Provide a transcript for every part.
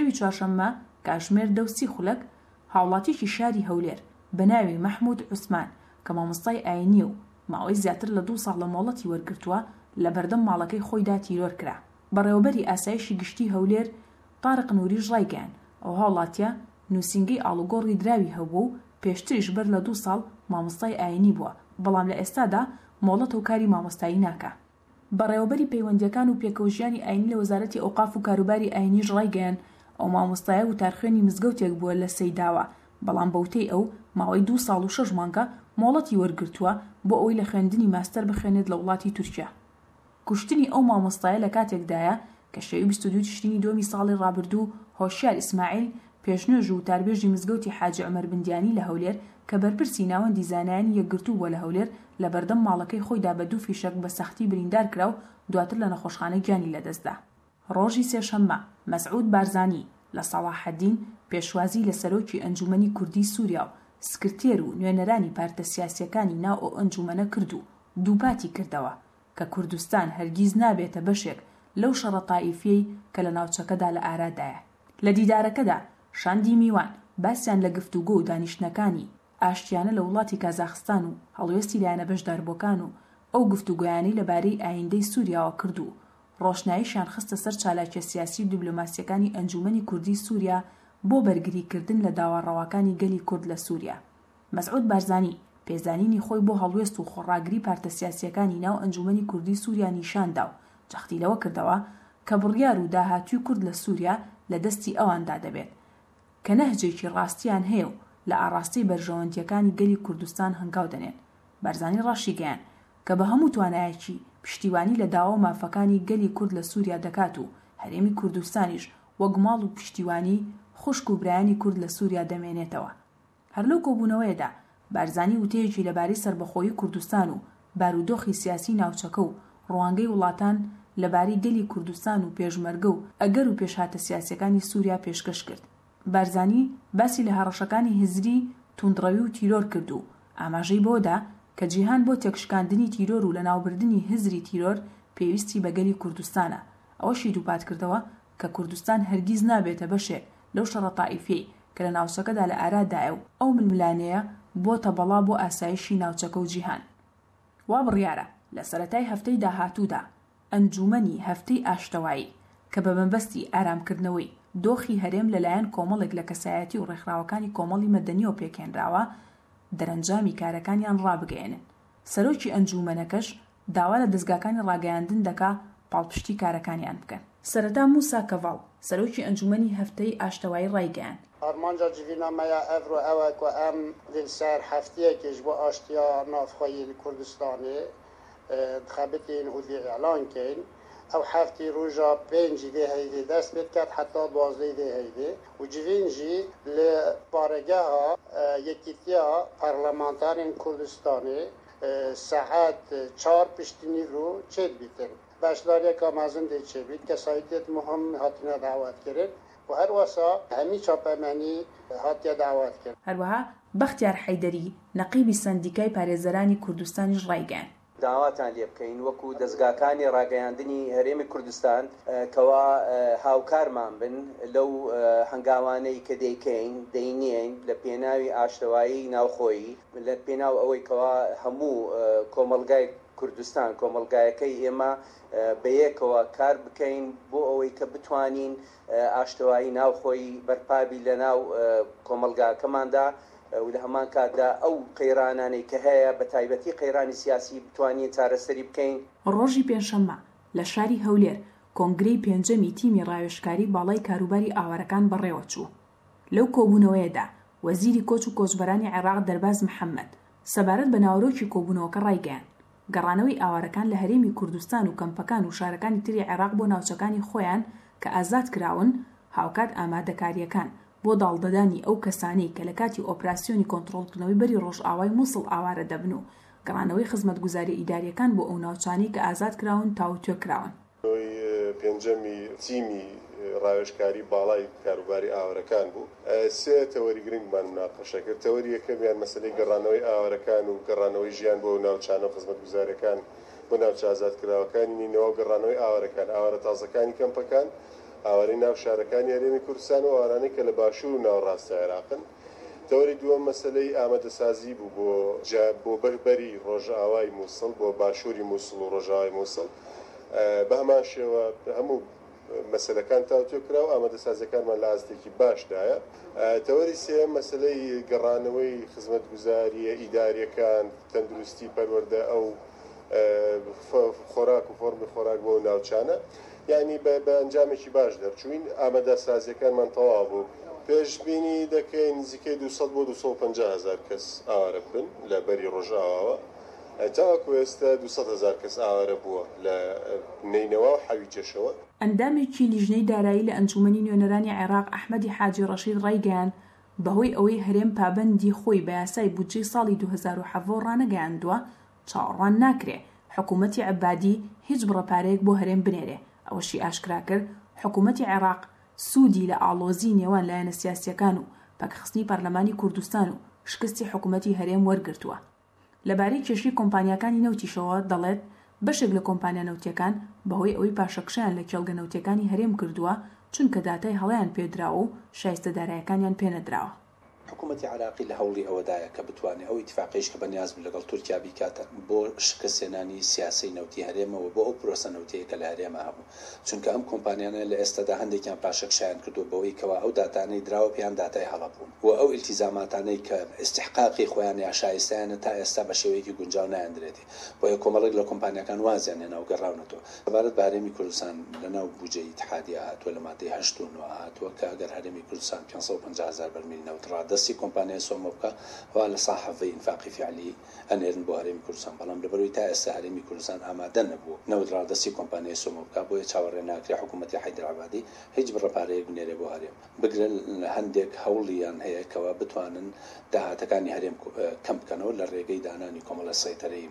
شەوی چوارشەممە کاژمێر دە و سی خولەک هاوڵاتیەکی شاری هەولێر بە ناوی مەحمود عوسمان کە مامۆستای ئاینییە و ماوەی زیاتر لە دوو ساڵە مۆڵەتی وەرگرتووە لە بەردەم ماڵەکەی خۆیدا تیرۆر کرا. بەڕێوەبەری ئاسایشی گشتی هەولێر تارق نوریش ڕایگەیاند، ئەو هاوڵاتیە نوسینگەی ئاڵوگۆڕی دراوی هەبووە و پێشتریش بەر لە دوو ساڵ مامۆستای ئاینی بووە، بەڵام لە ئێستادا مۆڵەتە و کاری مامۆستایی ناکا. بەڕێوەبەری پەیوەندییەکان و پێکەوەژیانی ئاینی لە وەزارەتی ئەوقاف و کاروباری ئاینیش ڕایگەیاند، ئەو مامۆستایە وتارخوێنی مزگەوتێک بووە لە سەیداوە، بەڵام بەوتەی ئەو، ماوەی دوو ساڵ و شەش مانگە مۆڵەتی وەرگرتووە بۆ ئەوەی لە خوێندنی ماستەر بخوێنێت لە وڵاتی تورکیا. کوشتنی ئەو مامۆستایە لە کاتێکدایە کە شەوی 22 تشرینی دووەمی ساڵی ڕابردوو هۆشیار ئیسماعیل پێشنوێژ و وتاربێژی مزگەوتی حاجی عومەر بندیانی لە هەولێر کە بەرپرسی ناوەندی زانایانی یەکگرتوو بووە لە هەولێر لە بەردەم ماڵەکەی خۆیدا بە دوو فیشەک بە سەختی بریندار کرا و دواتر لە نەخۆشخانە گیانی لەدەستدا. ڕۆژی سێشەممە، مەسعود بارزانی لە سەڵاحەدین پێشوازی لە سەرۆکی ئەنجومەنی کوردیی سووریا و سکرتێر و نوێنەرانی پارتە سیاسییەکانی ناو ئەو ئەنجومەنە کرد و دووپاتی کردەوە کە کوردستان هەرگیز نابێتە بەشێک لەو شەڕە تائیفیەی کە لە ناوچەکەدا لە ئارادایە. لە دیدارەکەدا شاندی میوان باسیان لە گفتوگۆ و دانیشتنەکانی ئاشتیانە لە وڵاتی کازاخستان و هەڵوێستی لایەنە بەشداربووەکان و ئەو گفتوگۆیانەی لە بارەی ئایندەی سووریاوە کرد و ڕۆشناییشیان خستە سەر چالاکیە سیاسی و دیبلۆماسیەکانی ئەنجوومەنی کوردیی سووریا بۆ بەرگریکردن لە داوا ڕەواکانی گەلی کورد لە سووریا. مەسعود بارزانی، پێزانینی خۆی بۆ هەڵوێست و خۆڕاگری پارتە سیاسییەکانی ناو ئەنجوومەنی کوردیی سووریا نیشان دا و جەختی لەوە کردەوە کە بڕیار و داهاتووی کورد لە سووریا لە دەستی ئەواندا دەبێت کە نەهجێکی ڕاستیان هەیە و لە ئاڕاستەی بەرژەوەندییەکانی گەلی کوردستان هەنگاو دەنێن. بارزانی ڕاشیگەیاند کە بە هەموو توانایەکی پشتیوانی لە داوا و مافەکانی گەلی کورد لە سووریا دەکات و هەرێمی کوردستانیش وەک ماڵ و پشتیوانی خوشک و برایانی کورد لە سووریا دەمێنێتەوە. هەر لەو کۆبوونەوەیەدا بارزانی وتەیەکی لەبارەی سەربەخۆیی کوردستان و بارودۆخی سیاسیی ناوچەکە و ڕوانگەی وڵاتان لەبارەی گەلی کوردستان و پێشمەرگە و ئەگەر و پێشهاتە سیاسییەکانی سووریا پێشکەش کرد. بارزانی باسی لە هەڕەشەکانی هزری توندڕەوی و تیرۆر کرد و ئاماژەی بەوەدا کە جیهان بۆ تێکشکاندنی تیرۆر و لەناوبردنی هزری تیرۆر پێویستی بە گەلی کوردستانە، ئەوەشی دووپاتکردەوە کە کوردستان هەرگیز نابێتە بەشێک لەو شەڕە تائیفیەی کە لە ناوچەکەدا لە ئارادایە و ئەو ململانێیە بۆتە بەڵا بۆ ئاسایشی ناوچەکە و جیهان. وا بڕیارە لە سەرەتای هەفتەی داهاتوودا ئەنجوومەنی هەفتەی ئاشتەوایی کە بە مەبەستی ئارامکردنەوەی دۆخی هەرێم لەلایەن کۆمەڵێک لە کەسایەتی و ڕێکخراوەکانی کۆمەڵی مەدەنیەوە پێکهێنراوە دەرەنجامی کارەکانیان ڕابگەیەنن سەرۆکی ئەنجوومەنەکەش داوا لە دەزگاکانی ڕاگەیاندن دەکا پاڵپشتی کارەکانیان بکەن. سەرەتا موسا کەڤاڵ، سەرۆکی ئەنجوومەنی هەفتەی ئاشتەوایی ڕایگەیاند. ئارمانجا جڤینا مە یا ئەڤرۆ ئەوە کو ئەم دێ ل سەر هەفتیەکێ ژ بۆ ئاشتیا ناڤخوەیی ل کوردستانێ دخەبتین و دێ ئیعلان کەین. ئەو هەفتی ڕوژا پێنجی ڤێ هەیڤێ دەست پێ دکەت حەتا دوازدەی ڤێ هەیڤێ و جڤین ژی ل بارەگەها یەکیتیا پەرلەمانتارێن کوردستانێ سەعات چار پشتی نیڤرۆ چێ دبیتن. بەشداریەکا مەزن دێ چێ بیت، کەسایتیەت موهم هاتنە دەعوەت کرن و هەروەسا هەمی چاپەمەنی هاتیە دەعوەت کرن. هەروەها بەختیار حەیدەری، نەقیبی سەندیکای پارێزەرانی کوردستانیش ڕایگەیاند، داواتان لێ بکەین وەکو دەزگاکانی ڕاگەیاندنی هەرێمی کوردستان کەوا هاوکارمان بن لەو هەنگاوانەی کە دەیکەین دەینێین لە پێناوی ئاشتەوایی ناوخۆیی لە پێناو ئەوەی کەوا هەموو کۆمەڵگای کوردستان کۆمەڵگایەکەی ئێمە بەیەکەوە کار بکەین بۆ ئەوەی کە بتوانین ئاشتەوایی ناوخۆیی بەرپابی لە ناو کۆمەڵگاکەماندا و لە هەمان کاتدا ئەو قەیرانانەی کە هەیە بە تایبەتی قەیرانی سیاسی بتوانین چارەسەری بکەین. ڕۆژی پێنجشەممە لە شاری هەولێر کۆنگرەی پێنجەمی تیمی ڕاوێژکاری باڵای کاروباری ئاوارەکان بەڕێوەچوو. لەو کۆبوونەوەیەدا وەزیری کۆچ و کۆچبەرانی عێراق دەرباز محەمەد سەبارەت بە ناوەرۆکی کۆبوونەوەکە ڕایگەیاند، گەڕانەوەی ئاوارەکان لە هەرێمی کوردستان و کەمپەکان و شارەکانی تری عێراق بۆ ناوچەکانی خۆیان کە ئازاد کراون، هاوکات ئامادەکارییەکان بۆ داڵدەدانی ئەو کەسانەی کە لە کاتی ئۆپراسیۆنی کۆنتڕۆڵکردنەوەی بەری ڕۆژئاوای موسڵ ئاوارە دەبن و گەڕانەوەی خزمەتگوزارییە ئیدارییەکان بۆ ئەو ناوچانەی کە ئازاد کراون تاوتوێ کراون. کۆی پێنجەمی تیمی ڕاوێژکاری باڵای کاروباری ئاوارەکان بوو. سێ تەوەری گرنگمان موناقەشە کرد. تەوەری یەکەمیان مەسەلەی گەڕانەوەی ئاوارەکان و گەڕانەوەی ژیان بۆ ئەو ناوچانە و خزمەتگوزارییەکان بۆ ناوچە ئازادکراوەکانی نەینەوا و گەڕانەوەی ئاوارەکان، ئاوارە تازەکانی کەمپەکان. ئاوارەی ناو شارەکانی هەرێمی کوردستان و ئاوارانەی کە لە باشوور و ناوەڕاستی عێراقن. تەوەری دووەم مەسەلەی ئامادەسازی بوو بۆ جا بۆ بەری ڕۆژئاوای مووسڵ، بۆ باشووری مووسڵ و ڕۆژئاوای مووسڵ. بە هەمان شێوە هەموو مەسەلەکان تاوتوێ کرا و ئامادەسازیەکانمان لە ئاستێکی باشدایە. تەوەری سێیەم مەسەلەی گەڕانەوەی خزمەتگوزارییە ئیدارییەکان، تەندروستی، پەروەردە، ئەو خۆراک و فۆڕمی خۆراک بۆ ئەو ناوچانە. یانی بە ئەنجامێکی باش دەرچووین. ئامادەسازییەکانمان تەواو بوو. پێشبینی دەکەین نزیکەی 200 بۆ 250 هەزار کەس ئاوارە ببن لە بەری ڕۆژئاواوە. تاوەکو ئێستا 200 هەزار کەس ئاوارە بووە لە نەینەوا و حەویجەشەوە. ئەندامێکی لیژنەی دارایی لە ئەنجوومەنی نوێنەرانی عێراق ئەحمەدی حاجی ڕەشید ڕایگەیاند، بەهۆی ئەوەی هەرێم پابەندی خۆی بە یاسای بودجەی ساڵی 2017 ڕانەگەیاندووە، چاوەڕوان ناکرێ حکوومەتی عەبادی هیچ بڕە پارەیەک بۆ هەرێم بنێرێ، ئەوەشی ئاشکرا کرد، حکوومەتی عێراق سوودی لە ئاڵۆزیی نێوان لایەنە سیاسییەکان و پەکخستنی پەرلەمانی کوردستان و شکستی حکوومەتی هەرێم وەرگرتووە. لەبارەی کێشەی کۆمپانیاکانی نەوتیشەوە دەڵێت، بەشێک لە کۆمپانیا نەوتییەکان بەهۆی ئەوەی پاشەکشەیان لە کێڵگە نەوتییەکانی هەرێم کردووە، چونکە داتای هەڵەیان پێدراوە و شایستە دارایەکانیان پێنەدراوە. حکوومەتی عێراقی لە هەوڵی ئەوەدایە کە بتوانێ ئەو ئیتیفاقەیش کە بەنیاز بوو لەگەڵ تورکیا بیکات بۆ شکستهێنانی سیاسەی نەوتی هەرێمە و بۆ ئەو پرۆسە نەوتیەی کە لە هەرێما هەبوو چونکە ئەم کۆمپانیانە لە ئێستادا هەندێکیان پاشەکشەیان کردووە بەوەی کەوا ئەو داتانەی دراوە پێیان داتای هەڵە بوون و ئەو ئیلتیزاماتانەی کە ئیستیحقاقی خۆیان یا شایستەیانە تا ئێستا بە شێوەیەکی گونجاو نایاندرێتێ بۆیە کۆمەڵێک لە کۆمپانیاکان وازیان هێنا و گەڕاونەتەوە. سەبارەت بە هەرێمی کوردستان لە ناو بوجەی ئیتحادیە هاتووە لە مادەی هەشت و نۆ هاتووە کە ئەگەر هەرێمی کوردستان 550 هەزار بەرمیل نەوت ڕادەستی کۆمپانیای سۆمۆ بکا ئەوا لە سا حەڤەی ئینفاقی فیعلی ئەنێرن بۆ هەرێمی کوردستان بەڵام لەبەرئەوەی تا ئێستا هەرێمی کوردستان ئامادە نەبوو نەوت ڕادەستی کۆمپانیای سۆمۆ بکا بۆیە چاوەڕێ ناکرێ حکوومەتی حەیدەر عەبادی هیچ بڕە پارەیەک بنێرێ بۆ هەرێم. بگرە هەندێک هەوڵیان هەیە کەوا بتوانن داهاتەکانی هەرێم کەم بکەنەوە لە ڕێگەی دانانی کۆمەڵە سەیتەرەی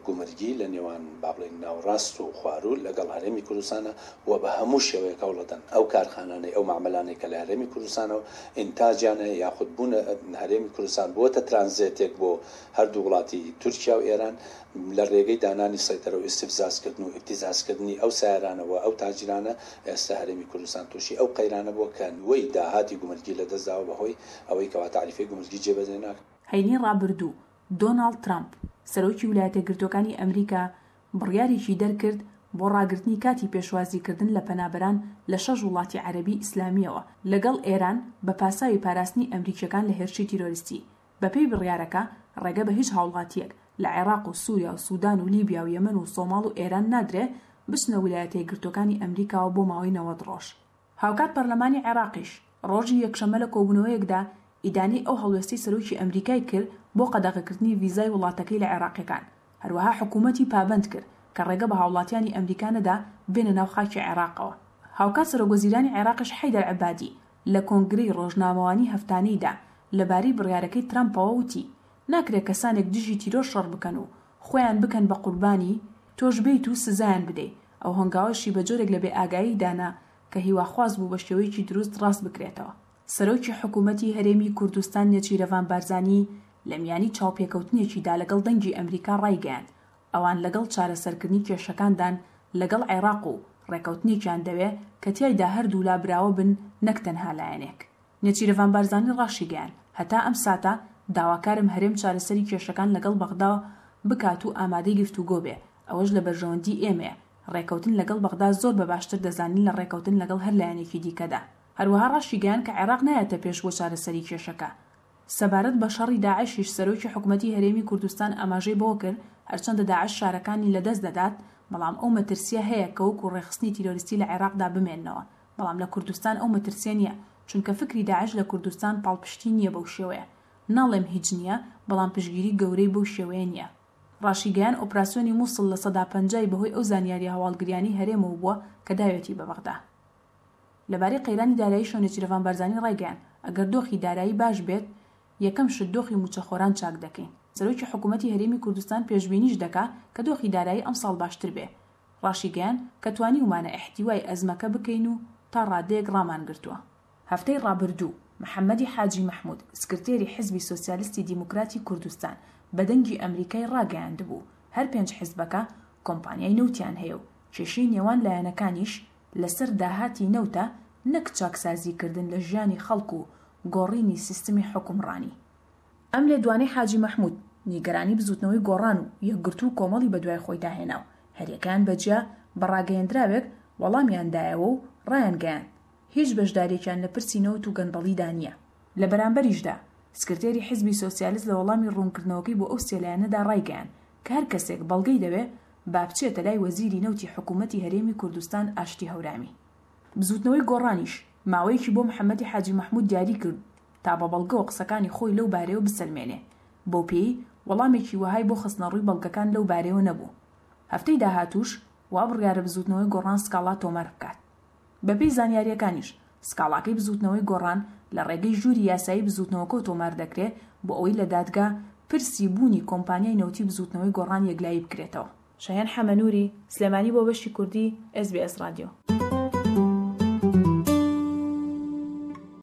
گومرگی لە نێوان با بڵێین ناوەڕاست و خواروو لەگەڵ هەرێمی کوردستانە و بە هەموو شێوەیەک هەوڵەدەن ئەو کارخانانەی ئەو مەعمەلانەی کە لە هەرێمی کوردستانەوە ئینتاجیان هەیە یاخود بوونە هەرێمی کوردستان بووەتە ترانزێتێک بۆ هەردوو وڵاتی تورکیا و ئێران لە ڕێگەی دانانی سەیتەرە و ئیستفزازکردن و ئیبتیزازکردنی ئەو سایەرانە و ئەو تاجیرانە ئێستا هەرێمی کوردستان تووشی ئەو قەیرانە بووە کە نیوەی داهاتی گومرگی لە دەست داوە بە هۆی ئەوەی کەوا تاریفەی گومرگی جێبەجێ ناکرێت. هەینی ڕابردوو، دۆناڵد ترەمپ، سەرۆکی ولایەتەکگرتووەکانی ئەمریکا بڕیارێکی دەرکرد بۆ ڕاگرتنی کاتی پێشوازیکردن لە پەنابەران لە شەش وڵاتی عەرەبی ئیسلامییەوە لەگەڵ ئێران بە پاساوی پاراستنی ئەمریکییەکان لە هێرشی تیرۆریستی. بەپێی بڕیارەکە، ڕێگە بە هیچ هاوڵاتییەک لە عێراق و سووریا و سوودان و لیبیا و یەمەن و سۆماڵ و ئێران نادرێ بچنە ولایەتەیەکگرتووەکانی ئەمریکاوە بۆ ماوەی 90 ڕۆژ. هاوکات پەرلەمانی عێراقیش ڕۆژی یەکشەممە لە کۆبوونەوەیەکدا ئیدانەی ئەو هەڵوێستەی سەرۆکی ئەمریکای کرد بۆ قەدەغەکردنی ڤیزای وڵاتەکەی لە عێراقییەکان، هەروەها حکوومەتی پابەند کرد کە ڕێگە بە هاوڵاتیانی ئەمریکا نەدا بێنە ناو خاکی عێراقەوە. هاوکات سەرۆکوەزیرانی عێراقیش حەیدەر عەبادی لە کۆنگرەی ڕۆژنامەوانی هەفتانەیدا لەبارەی بڕیارەکەی ترەمپەوە وتی، ناکرێ کەسانێک دژی تیرۆر شەڕ بکەن و خۆیان بکەن بە قوربانی، تۆش بێیت و سزایان بدەی، ئەو هەنگاوەشی بە جۆرێک لە بێئاگایی دانا کە هیواخواز بوو بە شێوەیەکی دروست ڕاست بکرێتەوە. سەرۆکی حکوومەتی هەرێمی کوردستان نێچیرەڤان بارزانی لە میانی چاوپێکەوتنێکیدا لەگەڵ دەنگی ئەمریکا ڕایگەیاند، ئەوان لەگەڵ چارەسەرکردنی کێشەکاندان لەگەڵ عێراق و ڕێکەوتنێکیان دەوێ کە تیایدا هەردوولا براوە بن نەک تەنها لایەنێک. نێچیرەڤان بارزانی ڕاشیگەیاند، هەتا ئەم ساتە داواکارم هەرێم چارەسەری کێشەکان لەگەڵ بەغدا بکات و ئامادەی گفتوگۆ بێ، ئەوەش لە بەرژەوەندی ئێمەیە، ڕێکەوتن لەگەڵ بەغدا زۆر بە باشتر دەزانین لە ڕێکەوتن لەگەڵ هەر لایەنێکی دیکەدا. هەروەها ڕاشیگەیاند کە عێراق نایەتە پێش بۆ چارەسەری کێشەکە. سەبارەت بە شەڕی داعشیش سەرۆکی حکومەتی هەرێمی کوردستان ئاماژەی بەوە کرد، هەرچەندە داعش شارەکانی لەدەست دەدات، بەڵام ئەو مەترسییە هەیە کە وەکو ڕێکخستنی تیرۆریستی لە عێراقدا بمێننەوە، بەڵام لە کوردستان ئەو مەترسییە نییە، چونکە فکری داعش لە کوردستان پاڵپشتی نییە بەو شێوەیە. ناڵێم هیچ نییە، بەڵام پشتگیری گەورەی بەو شێوەیە نییە. ڕاشیگەیاند ئۆپراسیۆنی موسڵ 50% ی بەهۆی ئەو زانیارییە هەواڵگریانەی هەرێمەوە بووە کە داوێتی بە بەغدا. لەبارەی قەیرانی داراییشەوە نێچیرەڤان بارزانی ڕایگەیاند، ئەگەر دۆخی دارایی باش بێت، یەکەم شت دۆخی مووچەخۆران چاک دەکەین. سەرۆکی حکوومەتی هەرێمی کوردستان پێشبینیش دەکا کە دۆخی دارایی ئەمساڵ باشتر بێ. ڕاشیگەیاند کە توانیومانە ئیحتیوای ئەزمەکە بکەین و تا ڕادەیەک ڕامانگرتووە. هەفتەی ڕابردوو، محەمەدی حاجی مەحمود، سکرتێری حزبی سۆسیالستی دیموکراتی کوردستان بە دەنگی ئەمریکای ڕاگەیاندبوو، هەر پێنج حزبەکە کۆمپانیای نەوتیان هەیە و کێشەی نێوان لایەنەکانیش لەسەر داهاتی نەوتە نەک چاکسازیکردن لە ژیانی خەڵک و گۆڕینی سیستمی حوکمڕانی. ئەم لێدوانەی حاجی مەحمود، نیگەرانی بزوتنەوەی گۆڕان و یەکگرتوو و کۆمەڵی بەدوای خۆیدا هێنا و هەریەکەیان بە جیا بە ڕاگەیەندراوێک وەڵامیان دایەوە و ڕایانگەیاند، هیچ بەشدارییەکیان لە پرسی نەوت و گەندەڵیدا نییە. لە بەرامبەریشدا، سکرتێری حیزبی سۆسیالست لە وەڵامی ڕوونکردنەوەکەی بۆ ئەو سێ لایەنەدا ڕایگەیاند کە هەر کەسێک بەڵگەی دەوێ با بچێتە لای وەزیری نەوتی حکوومەتی هەرێمی کوردستان ئاشتی هەورامی. بزووتنەوەی گۆڕانیش ماوەیەکی بۆ محەمەدی حاجی مەحموود دیاری کرد تا بە بەڵگەوە قسەکانی خۆی لەو بارەیەوە بسەلمێنێ، بەو پێیەی وەڵامێکی وەهای بۆ خستنەڕووی بەڵگەکان لەو بارەیەوە نەبوو. هەفتەی داهاتووش وا بڕیارە بزووتنەوەی گۆڕان سکاڵا تۆمار بکات. بەپێی زانیارییەکانیش، سکاڵاکەی بزووتنەوەی گۆڕان لە ڕێگەی ژووری یاسایی بزووتنەوەکەوە تۆمار دەکرێ بۆ ئەوەی لە دادگا پرسی بوونی کۆمپانیای نەوتی بزووتنەوەی گۆڕان یەکلایی بکرێتەوە. شاهێن حەمەنووری، سلێمانی بۆ بەشی کوردی، ئێس بی ئێس ڕادیۆ.